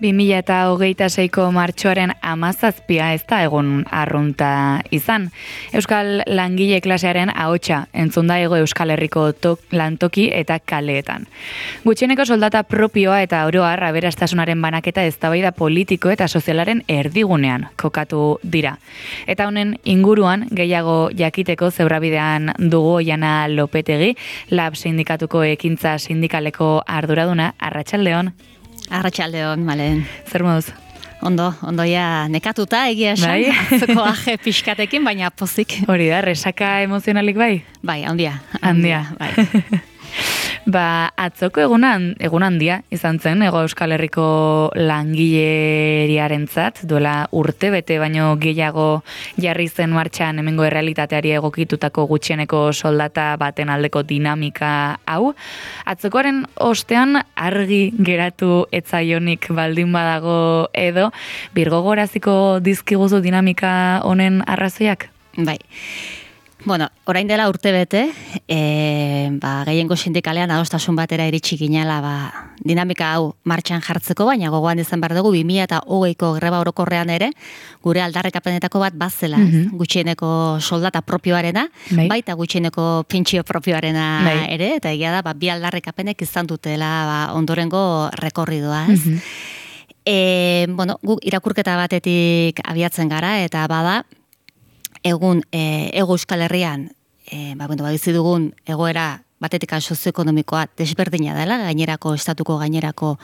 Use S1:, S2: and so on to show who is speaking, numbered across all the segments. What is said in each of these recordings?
S1: 2026ko martxoaren 17 ez da egun arrunta izan. Euskal langile klasearen ahotsa entzun da Hego Euskal Herriko lantoki eta kaleetan. Gutxieneko soldata propioa eta oro har aberastasunaren banaketa eztabaida politiko eta sozialaren erdigunean kokatu dira. Eta honen inguruan gehiago jakiteko zebrabidean dugu Oiana Lopetegi, Lab sindikatuko ekintza sindikaleko arduraduna. Arratsaldeon.
S2: Arratsaldeon, Malen.
S1: Zer moduz?
S2: Ondo ja nekatuta egia esan, atzeko aje pixkatekin, baina pozik.
S1: Hori da, resaka emozionalik bai?
S2: Bai, handia.
S1: Bai. Atzoko egun handia izan zen, Hego Euskal Herriko langileriarentzat, duela urte bete baino gehiago jarri zen martxan hemengo errealitateari egokitutako gutxieneko soldata baten aldeko dinamika hau. Atzokoaren ostean argi geratu etzaionik baldin badago edo, birgogoraziko dizkiguzu dinamika honen arrazoiak?
S2: Bai. Bueno, orain dela urte bete, gehiengo sindikalean adostasun batera iritsi ginela dinamika hau martxan jartzeko, baina gogoan izan behar dugu 2020ko greba orokorrean ere, gure aldarrekapenetako bat bazela, gutxieneko soldata propioarena, baita gutxieneko pentsio propioarena ere, eta egia da, bi aldarrekapenek izan dutela ondorengo rekorridoa, ez? Guk irakurketa batetik abiatzen gara, eta bada, egun Hego Euskal Herrian, bizi dugun egoera batetik sozioekonomikoa desberdina dela, estatuko gainerako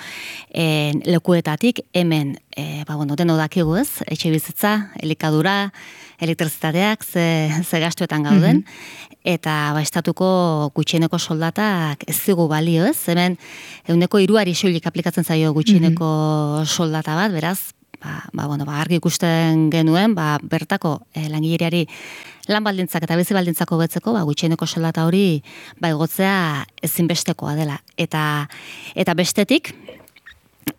S2: lekuetatik, hemen, deno dakigu ez, etxe bizitza, elikadura, elektrizitateak, ze gastuetan gauden, eta estatuko gutxieneko soldatak ez zigu balio ez, hemen, 3% soilik aplikatzen zaio gutxieneko soldata bat, beraz, argi ikusten genuen, bertako langileriari lan baldintzak eta bizi baldintzak hobetzeko, gutxieneko soldata hori igotzea ezinbestekoa dela. Eta bestetik,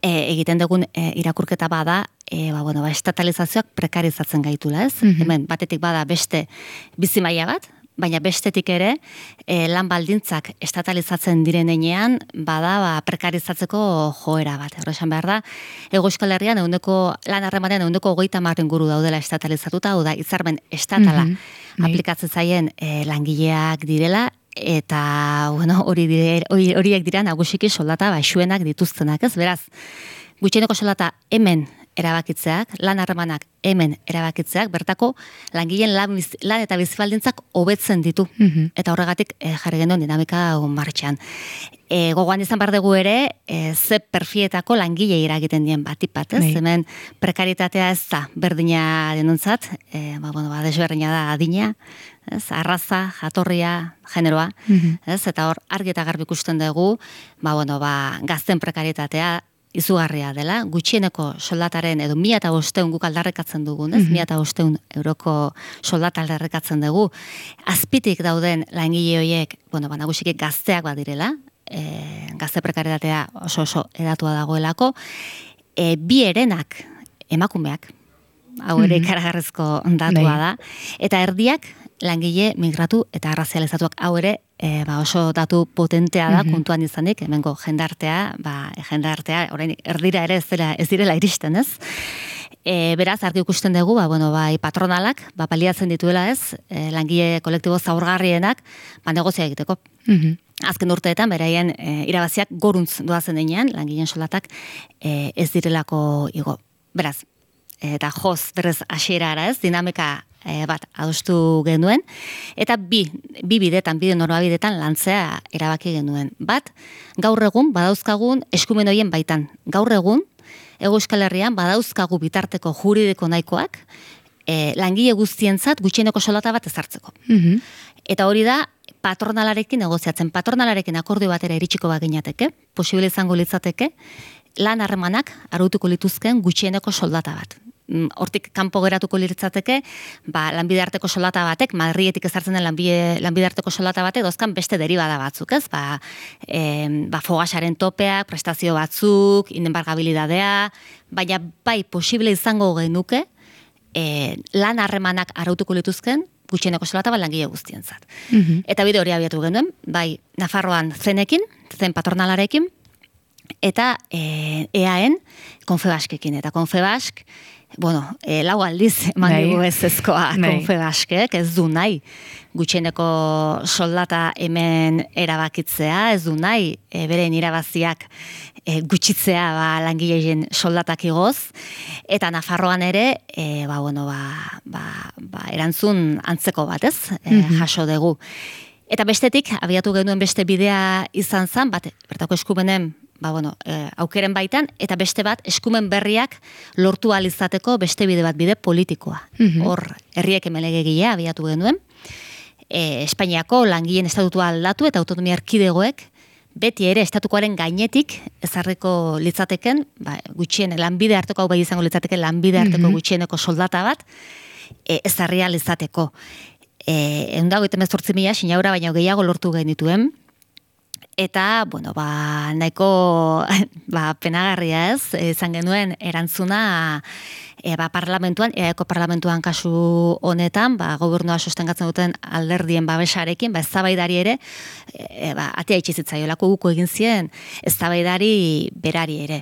S2: egiten dugun irakurketa bada, estatalizazioak prekarizatzen gaitula, ez? Hemen, batetik bada beste bizi maila bat, baina bestetik ere, lan baldintzak estatalizatzen direnean, bada prekarizatzeko joera bat. Horrexan behar da, Hego Euskal Herrian lan harremanean 30% inguru daudela estatalizatuta, hau da, hitzarmen estatala aplikatzen zaien langileak direla, eta horiek dira nagusiki soldata baxuenak dituztenak, ez? Beraz, gutxieneko soldata hemen erabakitzeak, lan harremanak hemen erabakitzeak, bertako langileen lan eta bizibaldintzak hobetzen ditu. Eta horregatik jarri genuen dinamika martxan. Gogoan izan behar dugu ere, ze perfietako langile iragiten dien batipat, ez? Hemen prekaritatea ez da berdina denontzat, desberdina da adina, arraza, jatorria, generoa, eta hor argi eta garbi ikusten dugu, gazten prekaritatea izugarria dela, gutxieneko soldataren edo 1.500 guk aldarrekatzen dugun, ez? 1.500 euroko soldata aldarrekatzen dugu. Azpitik dauden langile horiek, nagusiki gazteak badirela, gazte prekaritatea oso edatua dagoelako, bi herenak emakumeak, hau ere ikaragarrizko datua da, eta erdiak langile migratu eta arrazializatuak, hau ere oso datu potentea da kontuan izanik, hemengo jendartea, orain erdira ere ez direla iristen, ez? Beraz, argi ikusten dugu, patronalak, paliatzen dituela ez, langile kolektibo zaurgarrienak, negozia egiteko. Azken urteetan, beraien irabaziak goruntz doazen denean, langileen soldatak ez direlako igo. Beraz, eta joz berez hasierara ez, dinamika bat adostu genuen, eta bi normabidetan lantzea erabaki genuen. Bat, gaur egun badauzkagun eskumen horien baitan. Gaur egun, Hego Euskal Herrian badauzkagu bitarteko juridiko nahikoak, langile guztientzat gutxieneko soldata bat ezartzeko. Eta hori da, patronalarekin negoziatzen. Patronalarekin akordio batera iritsiko baginateke, posible izango litzateke, lan harremanak arautuko lituzken gutxieneko soldata bat. Hortik kanpo geratuko litzateke, lanbide arteko soldata batek, Madrietik ezartzen den lanbide arteko soldata batek, dozkan beste deribada batzuk, ez? Fogasaren topeak, prestazio batzuk, indenbargabilidadea, baina posible izango genuke, lan harremanak arautuko lituzken, gutxieneko soldata langile guztientzat. Eta bide hori abiatu genuen, Nafarroan zenekin, zen patronalarekin, eta EAen Confebaskekin, eta Confebask, lau aldiz eman dugu ezezkoa Confebaskek, ez du nahi gutxieneko soldata hemen erabakitzea, ez du nahi beren irabaziak gutxitzea langileen soldatak igoz, eta Nafarroan ere erantzun antzeko bat, ez? Jaso dugu. Eta bestetik, abiatu genuen beste bidea izan zen, bertako eskumenen aukeren baitan, eta beste bat, eskumen berriak lortu alizateko beste bide bat, bide politikoa. Hor, herriek emelegegilea abiatu genuen, Espainiako langileen estatutua aldatu eta autonomia erkidegoek beti ere estatukoaren gainetik ezarriko litzateken, gutxien lanbide harteko, hau bai izango litzateke lanbide harteko gutxieneko soldata bat, ezarria litzateko. 128.000 sinaura baino gehiago lortu genituen, eta, nahiko penagarria ez, izan genuen erantzuna parlamentuan, EAeko parlamentuan kasu honetan, gobernua sostengatzen duten alderdien babesarekin, eztabaidari ere, atea itxizitzaiolako guko egin zien, eztabaidari berari ere.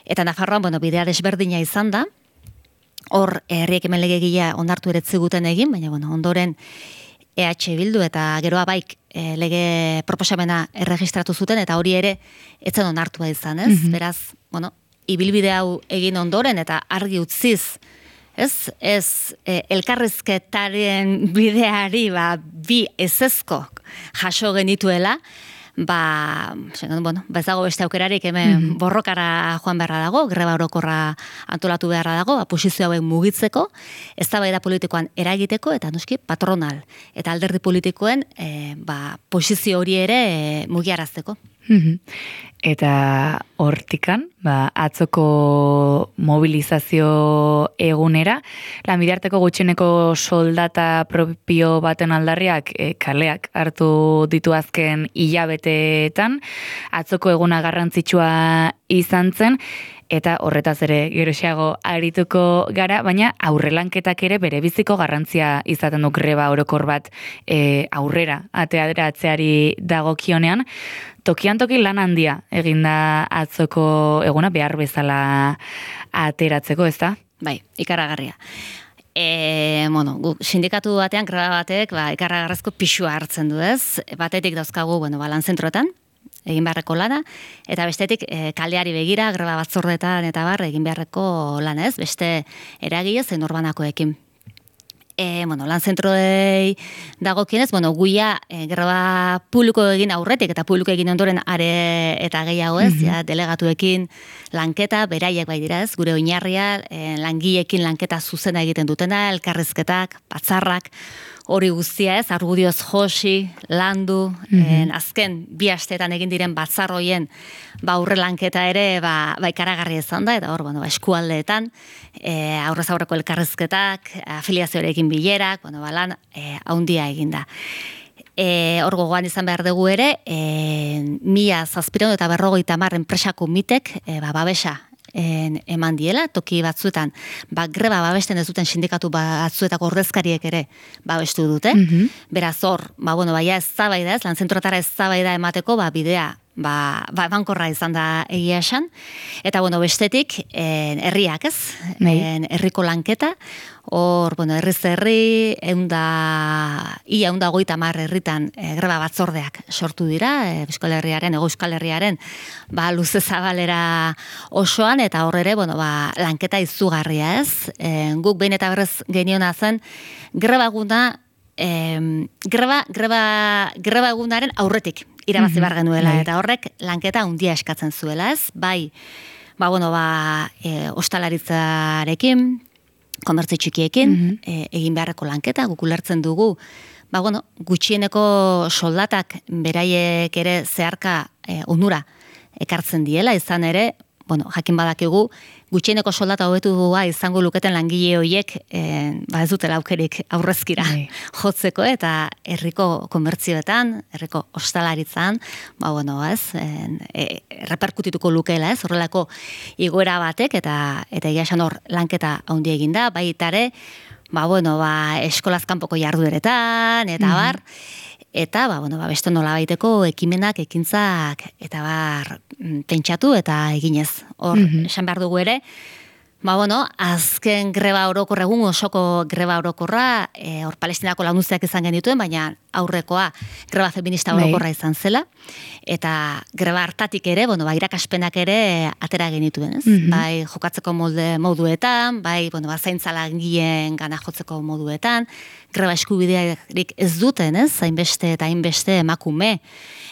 S2: Eta Nafarroan, bidea desberdina izan da, hor herriek hemen legegilea onartu ere ziguten egin, baina ondoren EH Bildu eta geroa baik lege proposamena erregistratu zuten, eta hori ere etzen onartua izan, ez? Beraz, ibilbide hau egin ondoren eta argi utziz, ez elkarrizketaren bideari bi ezezko jaso genituela, ez dago beste aukerarik hemen borrokara joan beharra dago, greba orokorra antolatu beharra dago, posizio hauen mugitzeko, eztabaida politikoan eragiteko, eta noski patronal, eta alderdi politikoen posizio hori ere mugiarazteko.
S1: Eta hortikan, atzoko mobilizazio egunera, lanbidearteko gutxieneko soldata propio baten aldarriak kaleak hartu ditu azken hilabeteetan, atzoko eguna garrantzitsua izan zen, eta horretaz ere geroxeago arituko gara, baina aurrelanketak ere bere biziko garrantzia izaten du greba orokor bat aurrera ateratzeari dagokionean. Tokian toki lan handia eginda atzoko eguna behar bezala ateratzeko, ez da?
S2: Bai, ikaragarria. Sindikatu batean, greba batek, ikaragarrezko pixua hartzen du, ez? Batetik dauzkagu, lan zentroetan, egin beharreko lana, eta bestetik kaleari begira, greba batzordetan eta egin beharreko lana, ez? Beste eragile zein norbanakoekin. Lan zentroei dagokienez, guia greba publiko egin aurretik eta publiko egin ondoren are eta gehiago ez, delegatuekin lanketa, beraiek bai dira ez, gure oinarria, langileekin lanketa zuzena egiten dutena, elkarrizketak, batzarrak, hori guztia ez, argudioz josi, landu, azken bi asteetan egin diren batzarroien aurre lanketa ere ikaragarria izan da, eta hor, eskualdeetan, aurrez aurreko elkarrizketak, afiliazioarekin bilerak, lan haundia egin da. Hor gogoan izan behar dugu ere, 1750 enpresako mitek babesa eman diela, toki batzuetan, greba babesten ez duten sindikatu batzuetako ordezkariek ere babestu dute. Beraz hor, eztabaida ez, lanzentroetara eztabaida emateko, bidea, bankorra izan da egia esan. Eta, bestetik, herriak ez, herriko lanketa, hor, herriz herri, ia 150 herritan greba batzordeak sortu dira, Euskal Herriaren, luze zabalera osoan, eta hor ere, lanketa izugarria ez. Guk behin eta berrez geniona zen, greba egunaren aurretik irabazi behar genuela, eta horrek lanketa handia eskatzen zuela, ez? Bai, ostalaritzarekin, komertze txikiekin, egin beharreko lanketa, guk ulertzen dugu, gutxieneko soldatak beraiek ere zeharka onura ekartzen diela, izan ere, jakin badakigu, gutxieneko soldata hobetua izango luketen langile horiek ez dutela aukerik aurrezkira jotzeko, eta herriko komertzioetan, herriko ostalaritzan, reperkutituko lukeela, ez, horrelako igoera batek, eta egia esan hor lanketa handi eginda, baitare, eskolaz kanpoko jardueretan, eta eta beste nolabaiteko ekimenak, ekintzak, eta pentsatu eta eginez. Hor, esan behar dugu ere, azken greba orokor, egun osoko greba orokorra, hor Palestinako lagunziak izan genituen, baina aurrekoa greba feminista orokorra izan zela, eta greba hartatik ere, irakaspenak ere atera genituen, ez? Bai, jokatzeko moduetan, bai, zaintza langileen gana jotzeko moduetan, greba eskubidearik ez duten, ez? Hainbeste eta hainbeste emakume,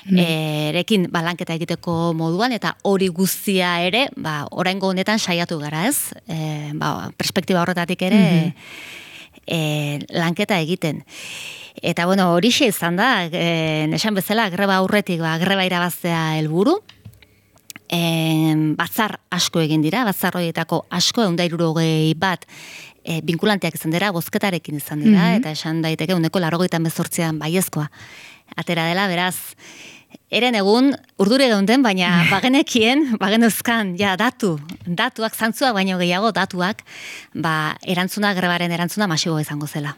S2: erekin lanketa egiteko moduan, eta hori guztia ere, oraingo honetan saiatu gara, ez? Perspektiba horretatik ere lanketa egiten. Eta horixe izan da, esan bezala, greba aurretik, greba irabaztea helburu, batzar asko egin dira, batzar horietako asko, 161 bat, binkulanteak izan dira, bozketarekin izan dira, eta esan daiteke 198an baiezkoa atera dela, beraz, eren egun, urdure geunden, baina bagenuzkan, datuak, zantzuak baino gehiago, datuak, grebaren erantzuna masibo izango zela.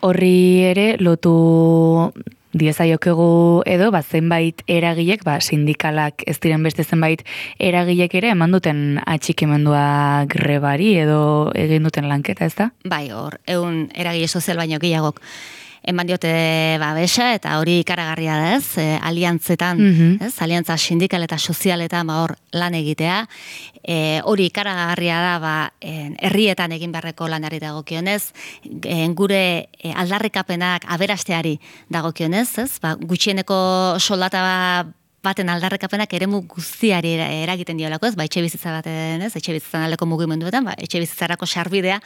S1: Horri ere, lotu diezaiokegu edo, zenbait eragilek, sindikalak ez diren beste zenbait eragilek ere, eman duten atxikimendua grebari edo egin duten lanketa, ez da?
S2: Bai, hor, egun eragile sozial baino gehiagok eman diote babesa, eta hori ikaragarria da, ez? Aliantzetan, ez? Aliantza sindikal eta sozialetan hor lan egitea. Hori ikaragarria da, herrietan egin beharreko lanari dagokionez, gure aldarrikapenak aberasteari dagokionez, ez? Gutxieneko soldata baten aldarrikapenak eremu guztiari eragiten diolako, ez? Etxe bizitza baten, ez? Etxe bizitzan aldeko mugimenduetan, etxe bizitzarako sarbidea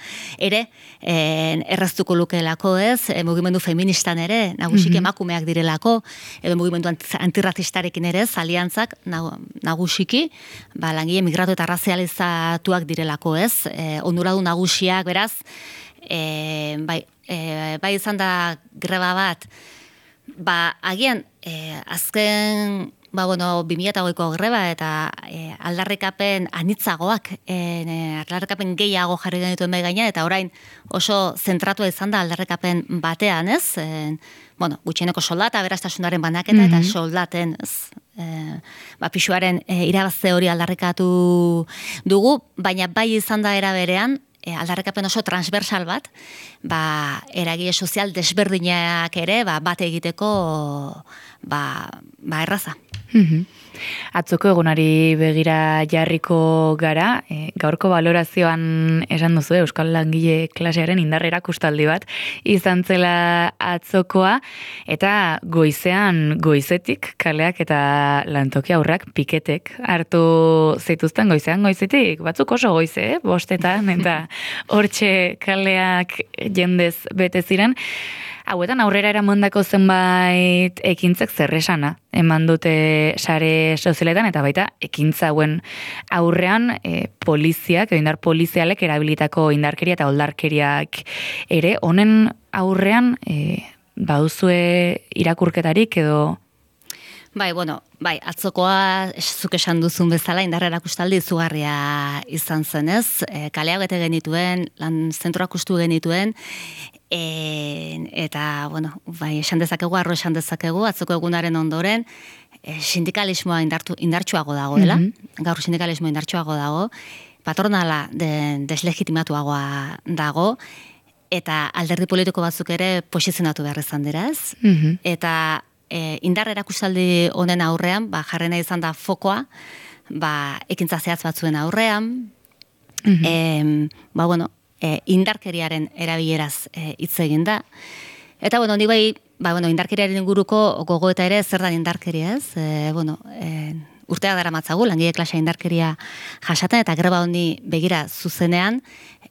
S2: ere erraztuko lukeelako, ez? Mugimendu feministan ere, nagusiki emakumeak direlako, edo mugimendu antirrazistarekin ere, aliantzak nagusiki, langile migratu eta razializatuak direlako, ez? Onduradu nagusiak, beraz, bai izan da greba bat, agian, azken 2008ko greba eta aldarrikapen anitzagoak, aldarrikapen gehiago jarri genituen behi gaina, eta orain oso zentratua izan da aldarrikapen batean, ez? Gutxieneko soldata, berastasunaren banaketa, eta soldaten, ez? Pisuaren irabazte hori aldarrikatu dugu, baina bai izan da era berean, aldarrikapen oso transversal bat, eragile sozial desberdinak ere, bat egiteko, erraza.
S1: Atzoko egunari begira jarriko gara, gaurko balorazioan esan duzu Euskal Langile klasearen indarra erakustaldi bat izan zela atzokoa, eta goizetik kaleak eta lantoki aurrak piketek hartu zituzten goizetik, batzuk oso goize, bostetan, eta hortxe kaleak jendez bete ziren. Hauetan aurrera eramandako zenbait ekintzek zerresana eman dute sare sozialetan, eta baita ekintza hauen aurrean poliziak, indar polizialek erabilitako indarkeria eta oldarkeriak ere, honen aurrean baduzue irakurketarik edo?
S2: Bai, atzokoa zuk esan duzun bezala indarra erakustaldi izugarria izan zenez, kaleak bete genituen, lan zentroak ustu genituen, eta, esan dezakegu, esan dezakegu, atzoko egunaren ondoren, sindikalismoa indartsuago dagoela, gaur sindikalismoa indartsuago dago, patronala deslegitimatuagoa dago, eta alderdi politiko batzuk ere posizionatu behar izan dira, ez? Eta indar erakustaldi honen aurrean, jarrena izan da fokoa, ekintza zehatz batzuen aurrean, indarkeriaren erabileraz hitz egin da. Eta, ni indarkeriaren inguruko gogoeta ere zer da indarkeria, ez? Urteak dara matzagu, langile klasea indarkeria jasaten, eta greba honi begira zuzenean,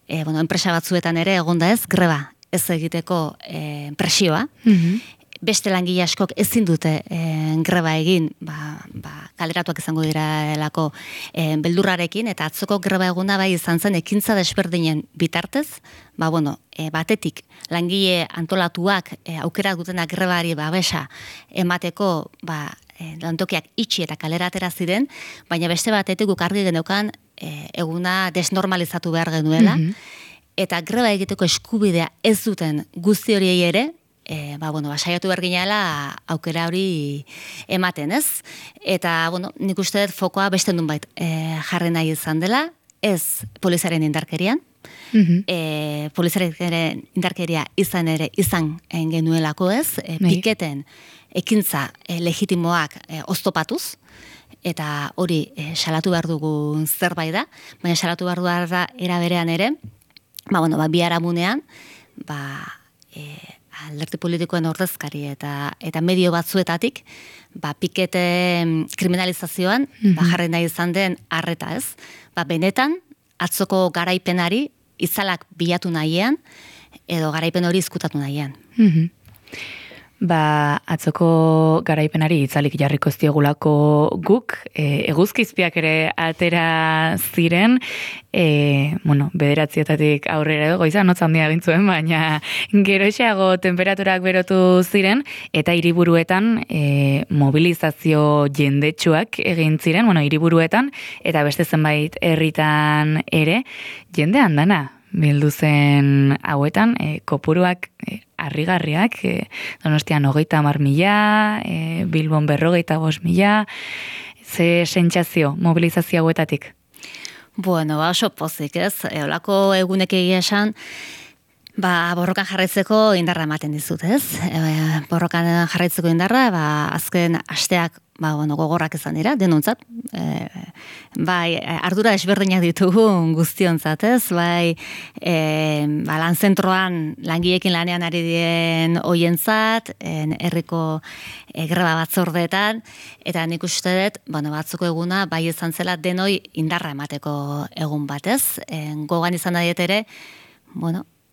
S2: enpresa batzuetan ere egonda ez, greba ez egiteko presioa, beste langile askok ezin dute greba egin, kaleratuak izango direlako beldurrarekin, eta atzoko greba eguna bai izan zen ekintza desberdinen bitartez, batetik langile antolatuak aukera dutenak grebari babesa emateko lantokiak itxi eta kalera atera ziren, baina beste batetik guk argi geneukan eguna desnormalizatu behar genuela, eta greba egiteko eskubidea ez duten guzti horiei ere, saiatu berginala aukera hori ematen, ez? Eta, nik uste dut fokoa beste nunbait jarri nahi izan dela, ez poliziaren indarkerian, poliziaren indarkeria izan genuelako, ez? Piketen ekintza legitimoak oztopatuz, eta hori salatu behar dugu zerbait da, baina salatu behar dugu da era berean ere, biharamunean, alderdi politikoen ordezkari eta medio batzuetatik, pikete kriminalizazioan, jarri nahi izan den arreta, ez? Benetan, atzoko garaipenari itzalak bilatu nahian, edo garaipen hori izkutatu nahian.
S1: Atzoko garaipenari itzalik jarriko ziegulako guk, eguzkizpiak ere atera ziren, bederatzietatik aurrera edo goizan notz handia gintzuen, baina geroxeago temperaturak berotu ziren, eta hiriburuetan mobilizazio jendetsuak egin ziren, hiriburuetan, eta beste zenbait herritan ere, jende handana bildu zen hauetan, kopuruak harrigarriak, Donostian 30.000, Bilbon 45.000, ze sentsazio mobilizazio hauetatik?
S2: Oso pozik, ez? Olako egunek egia esan, borrokan jarraitzeko indarra ematen dizut, ez? Borrokan jarraitzeko indarra, azken asteak gogorrak izan dira, denontzat. Ardura desberdinak ditugu guztiontzat, ez? Lan zentroan langileekin lanean ari dien hoientzat, herriko greba batzordeetan, eta nik uste dut, batzuko eguna, izan zela denoi indarra emateko egun bat, ez? Gogan izan da ere,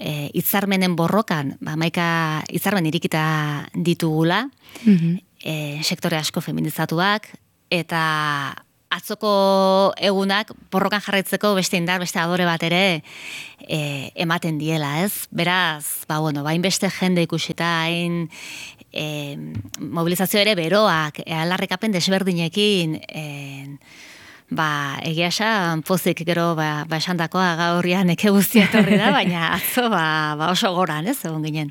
S2: hitzarmenen borrokan, maika hitzarmen irikita ditugula, sektore asko feminizatuak, eta atzoko egunak borrokan jarraitzeko beste indar, beste adore bat ere ematen diela, ez? Beraz, hainbeste jende ikusita, hain mobilizazio ere beroak, alarrikapen desberdinekin, egia esan, pozik gero esandakoa gaurrian eke guztia etorri da, baina atzo oso goran, ez, egon ginen.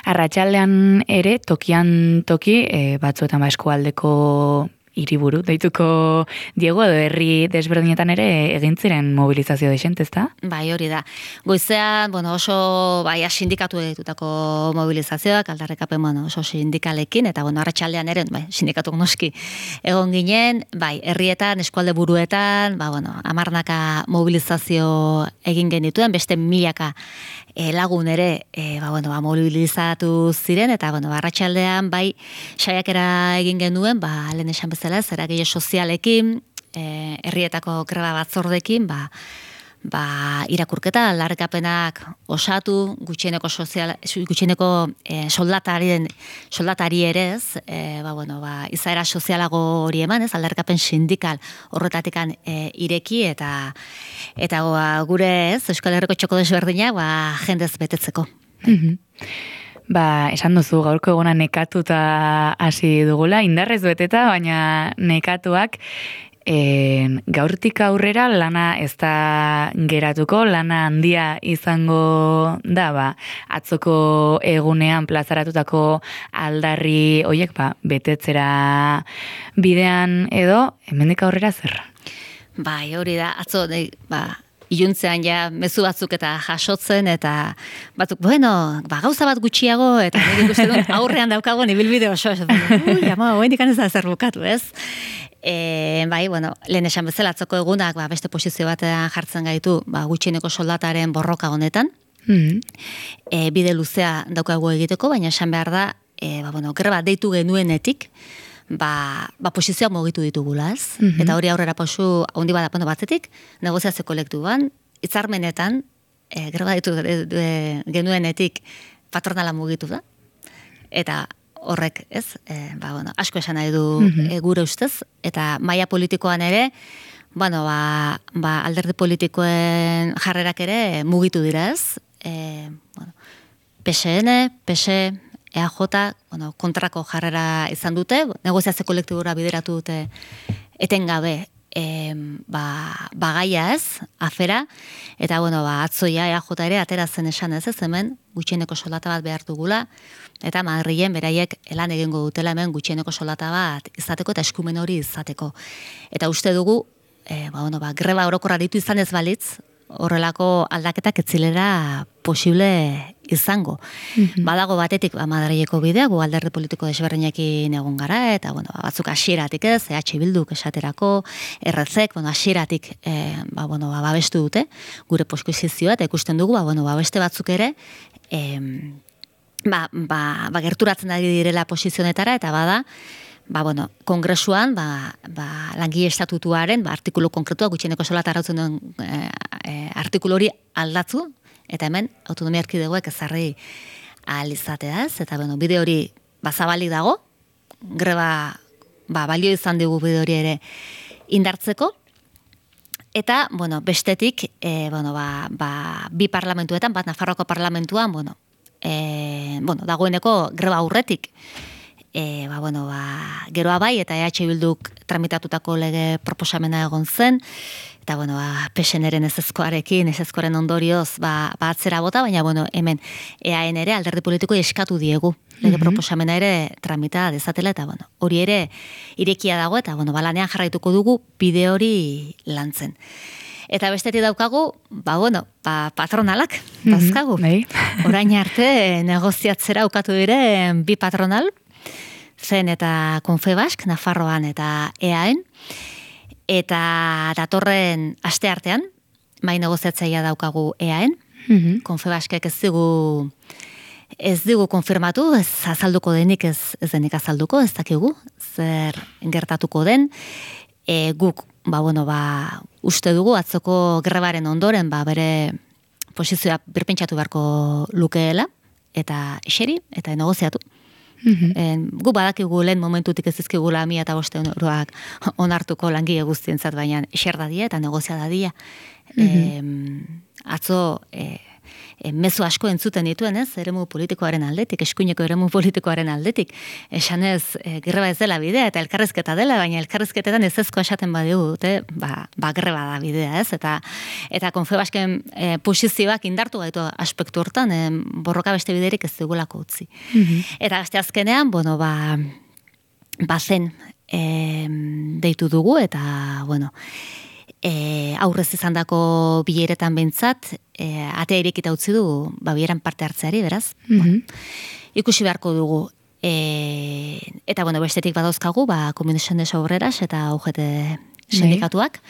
S1: Arratsaldean ere, tokian toki, batzuetan eskualdeko hiriburu deituko Diego, edo herri desberdinetan ere egin ziren mobilizazio desent, ezta?
S2: Hori da. Goizean, oso sindikatu egitutako mobilizazioak, aldarrikapen oso sindikalekin, eta arratsaldean ere, sindikatuk noski egon ginen, herrietan, eskualde buruetan, 10 mobilizazio egin genituen, beste 1000 lagun ere mobilizatu ziren, eta arratsaldean saiakera egin genuen, lehen esan bezala, eragile sozialekin, herrietako greba batzordekin, irakurketa, aldarrikapenak osatu, gutxieneko soldatari ere, ez, izaera sozialago hori eman, ez, aldarrikapen sindikal horretatikan ireki, eta gure, ez, Euskal Herriko txoko desberdinak, jendez betetzeko.
S1: Esan duzu, gaurko eguna nekatuta hasi dugula, indarrez beteta, baina nekatuak, gaurtik aurrera lana ez da geratuko, lana handia izango da, atzoko egunean plazaratutako aldarri hoiek, betetzera bidean edo, hemendik aurrera zer?
S2: Hori da, atzo, iluntzean mezu batzuk eta jasotzen, eta batzuk, gauza bat gutxiago, eta nire ikusten dut aurrean daukago ibilbide oso, hoendik ez da zer bukatu, ez? Lehen esan bezala atzoko egunak beste posizio batean jartzen gaitu gutxieneko soldataren borroka honetan. Bide luzea daukagu egiteko, baina esan behar da, greba deitu genuenetik, posizioak mugitu ditugula, ez? Eta hori aurrera pausu handi bada batzetik, negoziazio kolektiboan, hitzarmenetan, greba deitu genuenetik patronala mugitu da, eta horrek, ez, asko esan nahi du gure ustez, eta maila politikoan ere, alderdi politikoen jarrerak ere mugitu dira, ez, PSN, PS, EAJ, kontrako jarrera izan dute, negoziazio kolektibora bideratu dute etengabe gaia ez, afera, eta bueno, atzoia EAJ ere atera zen esan ez hemen, gutxieneko soldata bat behar dugula, eta Madrilen beraiek lan egingo dutela hemen gutxieneko soldata bat izateko eta eskumen hori izateko. Eta uste dugu, greba orokorra ditu izan ez balitz, horrelako aldaketak etzilera posible izango. Badago batetik Madrileko bidea, gu alderdi politiko desberdinekin egon gara, eta batzuk hasieratik ez, EH Bilduk esaterako, RZ, hasieratik babestu dute, gure posizioa, eta ikusten dugu, beste batzuk ere, gerturatzen ari direla posizionetara, eta bada, kongresuan, langile estatutuaren, artikulu konkretua, gutxieneko soldata arautzen duen artikulu hori aldatzu, eta hemen autonomia erkidegoek ezarri ahal izateaz, eta bide hori zabalik dago, greba balio izan digu bide hori ere indartzeko, eta bestetik, bi parlamentuetan, bat Nafarroako parlamentuan, dagoeneko greba aurretik, geroa bai, eta EH Bilduk tramitatutako lege proposamena egon zen, eta PSN-eren ezezkoaren ondorioz atzera bota, baina hemen EAN ere alderdi politiko eskatu diegu lege proposamena ere tramita dezatela, eta hori ere irekia dago, eta lanean jarraituko dugu bide hori lantzen. Eta bestetik daukagu, patronalak, dazkagu. Orain arte negoziatzera ukatu diren bi patronal, zen eta Confebask, Nafarroan eta EAN, eta datorren aste artean, mai negoziatzailea daukagu EAN, Confebaskek ez digu konfirmatu, ez azalduko denik, ez denik azalduko, ez dakigu, zer gertatuko den, guk, uste dugu, atzoko grebaren ondoren, bere posizioa birpentsatu beharko lukeela, eta eseri, eta negoziatu. Gu badakigu lehen momentutik ez dizkigula 1.500 euroak onartuko langile guztientzat, baina eser dadia eta negozia dadia. Atzo mezu asko entzuten dituen, ez? Eremu politikoaren aldetik, eskuineko eremu politikoaren aldetik. Esanez, greba ez dela bidea eta elkarrizketa dela, baina elkarrizketetan ezezko esaten badigu dute, greba da bidea, ez? Eta Confebasken posizioak indartu gaitu aspektu hortan, borroka beste biderik ez dugulako utzi. Eta beste azkenean, zen deitu dugu, eta, aurrez izandako bileretan behintzat, atea irekita utzi du, bileran parte hartzeari, beraz. Ikusi beharko dugu. Eta, bestetik badauzkagu, Comunicaciones Obreras eta UGT sindikatuak.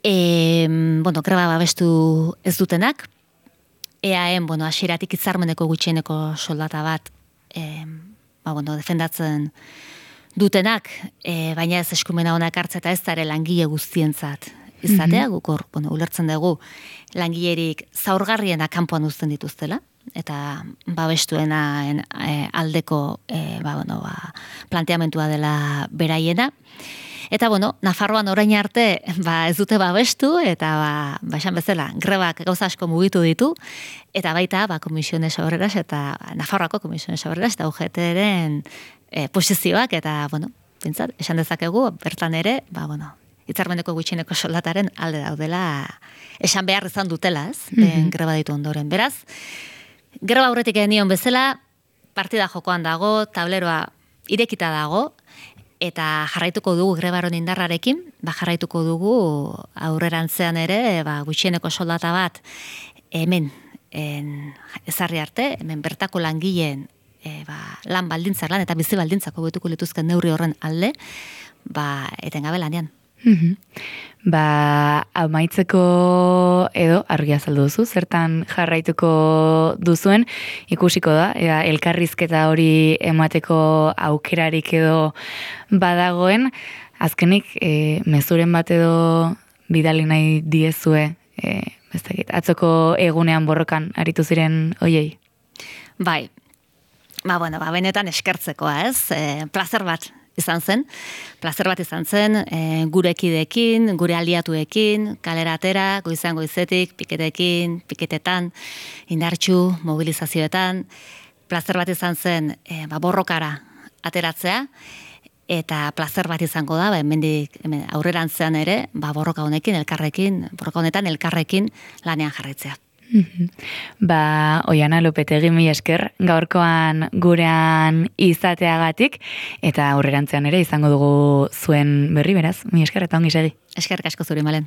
S2: Greba babestu ez dutenak. EAN, hasieratik hitzarmeneko gutxieneko soldata bat, defendatzen dutenak, baina ez eskumena honak hartze eta ez dara langile guztientzat izatea, gukor, ulertzen dugu langilerik zaurgarriena kanpoan uzten dituztela, eta babestuena aldeko planteamentua dela beraiena. Eta, Nafarroan orain arte ez dute babestu, eta esan bezala, grebak gauza asko mugitu ditu, eta baita Comisiones Obreras eta Nafarroako Comisiones Obreras eta UGT-ren posizioak, eta, bintzat, esan dezakegu, bertan ere, hitzarmeneko gutxieneko soldataren alde daudela, esan behar izan dutela, ez? Greba ditu ondoren. Beraz, greba aurretik genion bezala, partida jokoan dago, tableroa irekita dago, eta jarraituko dugu grebaron indarrarekin, jarraituko dugu aurrerantzean ere, gutxieneko soldata bat hemen ezarri arte, hemen bertako langileen lan baldintzak, lan eta bizi baldintzak hobetuko lituzken neurri horren alde, etengabe lanean.
S1: Amaitzeko edo argia azaldu duzu, zertan jarraituko duzuen, ikusiko da, elkarrizketa hori emateko aukerarik edo badagoen, azkenik mezuren bat edo bidali nahi diezue, atzoko egunean borrokan aritu ziren hoiei?
S2: Bai, benetan eskertzekoa, ez? Plazer bat izan zen, gure kideekin, gure aliatuekin, kalera atera, goizan goizetik, piketekin, piketetan, indartxu, mobilizazioetan, plazer bat izan zen borrokara ateratzea, eta plazer bat izango da, hemen aurrerantzean ere, borroka honetan elkarrekin lanean jarraitzea.
S1: Oiana Lopetegi, mila esker, gaurkoan gurean izateagatik, eta aurrerantzean ere izango dugu zuen berri, beraz, mila esker eta ongi segi.
S2: Eskerrik asko zuri, Malen.